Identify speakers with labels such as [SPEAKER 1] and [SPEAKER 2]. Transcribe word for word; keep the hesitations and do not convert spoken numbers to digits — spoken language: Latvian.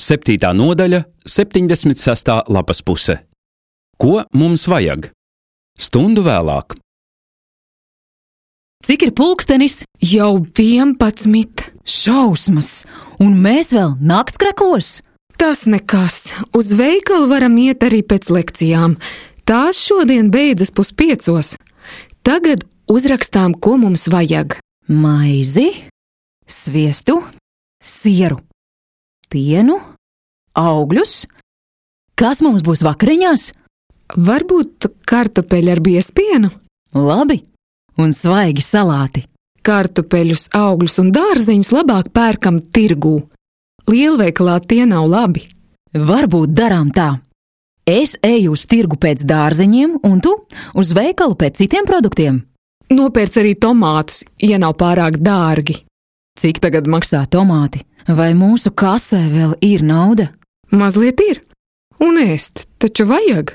[SPEAKER 1] septītā nodaļa, septiņdesmit sestā lapas puse. Ko mums vajag? Stundu vēlāk.
[SPEAKER 2] Cik ir pulkstenis?
[SPEAKER 3] Jau vienpadsmit.
[SPEAKER 2] Šausmas! Un mēs vēl naktskreklos?
[SPEAKER 3] Tas nekas. Uz veikalu varam iet arī pēc lekcijām. Tās šodien beidzas puspiecos. Tagad uzrakstām, ko mums vajag.
[SPEAKER 2] Maizi, sviestu, sieru, pienu, augļus. Kas mums būs vakariņās?
[SPEAKER 3] Varbūt kartupeļi ar biezpienu?
[SPEAKER 2] Labi, un svaigi salāti.
[SPEAKER 3] Kartupeļus, augļus un dārzeņus labāk pērkam tirgū. Lielveikalā tie nav labi.
[SPEAKER 2] Varbūt darām tā. Es eju uz tirgu pēc dārzeņiem, un tu uz veikalu pēc citiem produktiem.
[SPEAKER 3] Nopērc arī tomātus, ja nav pārāk dārgi.
[SPEAKER 2] Cik tagad maksā tomāti? Vai mūsu kasē vēl ir nauda?
[SPEAKER 3] Mazliet ir. Un ēst taču vajag.